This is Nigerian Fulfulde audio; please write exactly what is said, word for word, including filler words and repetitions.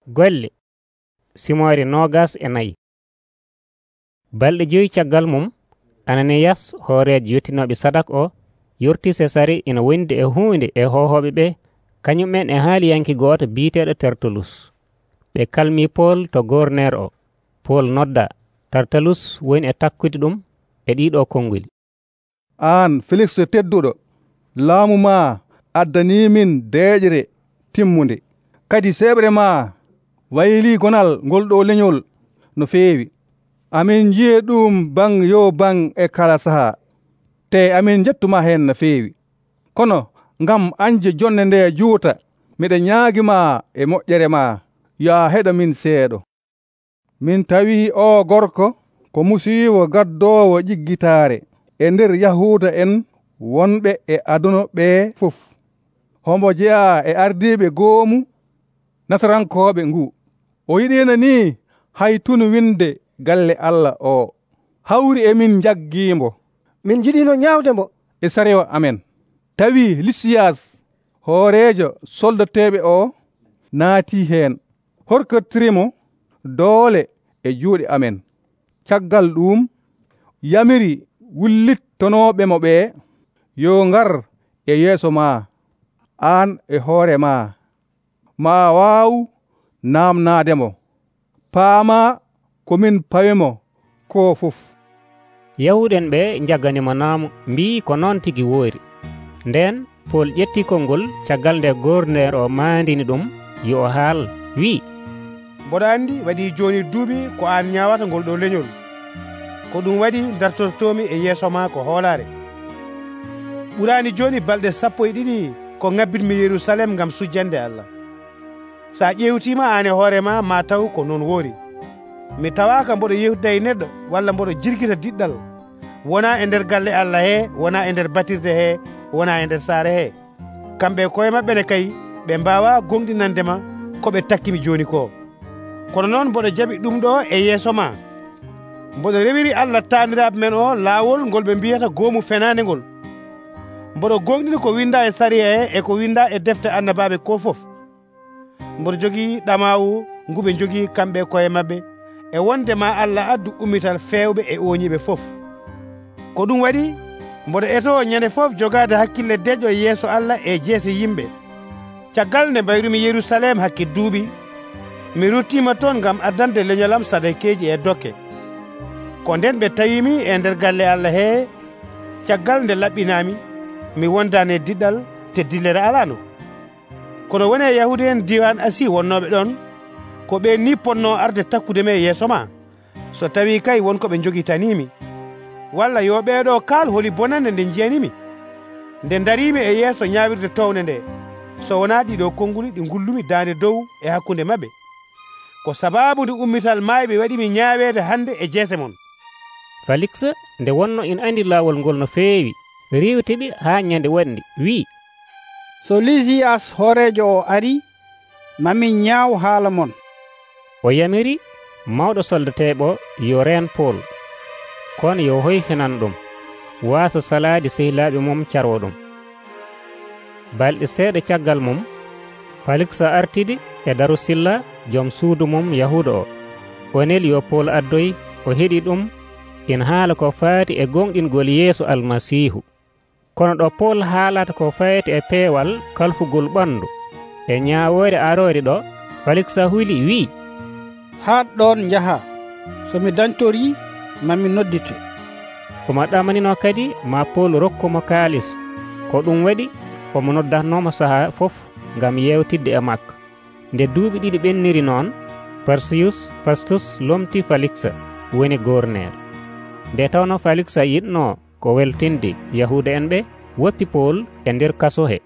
Golle Simoore noogas e nayi. Balɗe joyi caggal mum, Ananiyas hoorejo yottinooɓe sadak o yortii Sesare ina wondi e huunde e hohooɓe ɓe, kañumen e haaliyanke gooto biiteeɗo Tertulus. Ɓe kalmii Pool to gorneer o. Pool noddaa. Tertulus woni e takkude ɗum e ɗiiɗoo konnguli. Aan Feliks tedduɗo, laamu maa addaniimin deeƴre timmunde, kadi seeɓre maa waylii gonal ngol ɗoo lenyol no feewi. Amin nji'e ɗum baŋ yo baŋ e kala sahaa, te amin njettumaa heen no feewi. Kono ngam anje jonde nde juuta, miɗe ñaagimaa e moƴƴere maa, yo a heɗomin seeɗo. Min tawii oo gorko ko musiiwo gaddoowo ƴiggitaare e nder Yahuuda en wonɓe e aduna ɓee fof. Hombo jeyaa e ardiiɓe goomu Nasarankooɓe nguu. O yiɗiino nii hay tunu winde galle Allah oo. Hawri e min njaggiimbo. Min njiɗiino ñaawdemo e sarewa amen. Tawii Lisiyas hooreejo soldateeɓe oo naatii heen, horkotirimo doole e juuɗe amen. Caggal ɗum yamiri wullittonooɓemo ɓee yo ngar e yeeso maa, aan e hoore maa, maa waawu naamnaademo. Paamaa ko min pawimo koo fof. Yahuuɗen ɓe njaganimo naamu, mbii ko noon tigi woori. Nden Pool ƴettii konngol caggal nde gorneer o maandini ɗum yo o haal, wi'i: Mboɗo anndi waɗii jooni duuɓi ko aan ñaawata ngol ɗoo leñol. Ko ɗum waɗi dartortoomi e yeeso maa ko hoolaare. Ɓuraani jooni balɗe sappo e ɗiɗi ko ŋabbitmi Yerusalem ngam sujjande Allah. So a ƴeewtiima aan e hoore maa maa taw ko non woori. Mi tawaaka mboɗo yewtida e neɗɗo walla mboɗo jirgita diɗɗal, wonaa e nder galle Allah hee, wonaa e nder batirde hee, wonaa e nder saare hee. Kamɓe koye maɓɓe ne kay ɓe mbaawaa gonɗinandema ko ɓe takkimi jooni ko. Kono noon mboɗo jaɓi ɗum ɗo e yeeso maa. Mboɗo rewiri Allah taaniraaɓe men o laawol ngol ɓe mbiyata goomu fenaande ngol. Mboɗo gonɗini ko windaa e sariya he e ko windaa e defte annabaaɓe ko fof. Mboɗo jogii ɗamaawu ngu ɓe njogii kamɓe koye maɓɓe e wonde ma Allah addu ummital feewɓe e ooñiɓe fof. Ko ɗum waɗi mboɗo etoo ñande fof jogaade hakkille deƴƴo e yeeso Allah e jeese yimɓe. Caggal nde mbayrumi Yerusalem hakke duuɓi, mi ruttiima toon ngam addande leñolam sadakeeji e dokke. Ko nden ɓe tawiimi e nder galle Allah hee, caggal nde laɓɓinaami, mi wondaani e diɗɗal te dillere alaano. Kono woni e Yahuude en diiwan Asi wonnooɓe ɗon, ko ɓe ni potnoo arde takkudemi e yeeso ma, so tawii kay wonko ɓe njogitaniimi. Walla yo ɓeeɗoo kaal holi bonande nde njiyanimi, nde dariimi e yeeso ñaawirde townde nde, so wonaa ɗiɗo konnguli ɗi ngullumi daande dow e hakkunde maɓɓe. Ko sabaabu nde ummital maayɓe waɗimi ñaaweede hannde e jeese mon. Faliks nde wonno ina andi laawol ngol no feewi, riiwtiɓe haa ñande wonde, wi'i: So Lisiyas hooreejo o arii, mamin ñaaw haala mon. O yamiri mawɗo soldateeɓo yo reen Pool, kono yo hoyfinan ɗum, waasa salaade sehilaaɓe mum carwo ɗum. Balɗe seeɗa caggal mum, Faliks artidi e Darusilla joom suudu mum Yahuuda o. O neli yo Pool addoy o heɗi ɗum ina haala ko faati e gonɗingol yeeso Almasiihu. Kono ɗo Pool haalata ko fayti e peewal kalfugol ɓanndu e ñaawoore aroore ɗo, Faliks huli wi'i: Haat ɗon njaha, so mi dañtorii mami noddite. Omo ɗamanino kadi ma Pool rokkumo kaalis, ko ɗum waɗi omo noddatnoomo sahaa fof ngam yewtidde e makko. Nde duuɓi ɗiɗi ɓenniri noon, Parsiyus Fastus lomti Faliks woni gorneer. Nde tawno Faliks yiɗnoo ko weltinde Yahuuda en ɓe, woppi Pool e nder kaso he.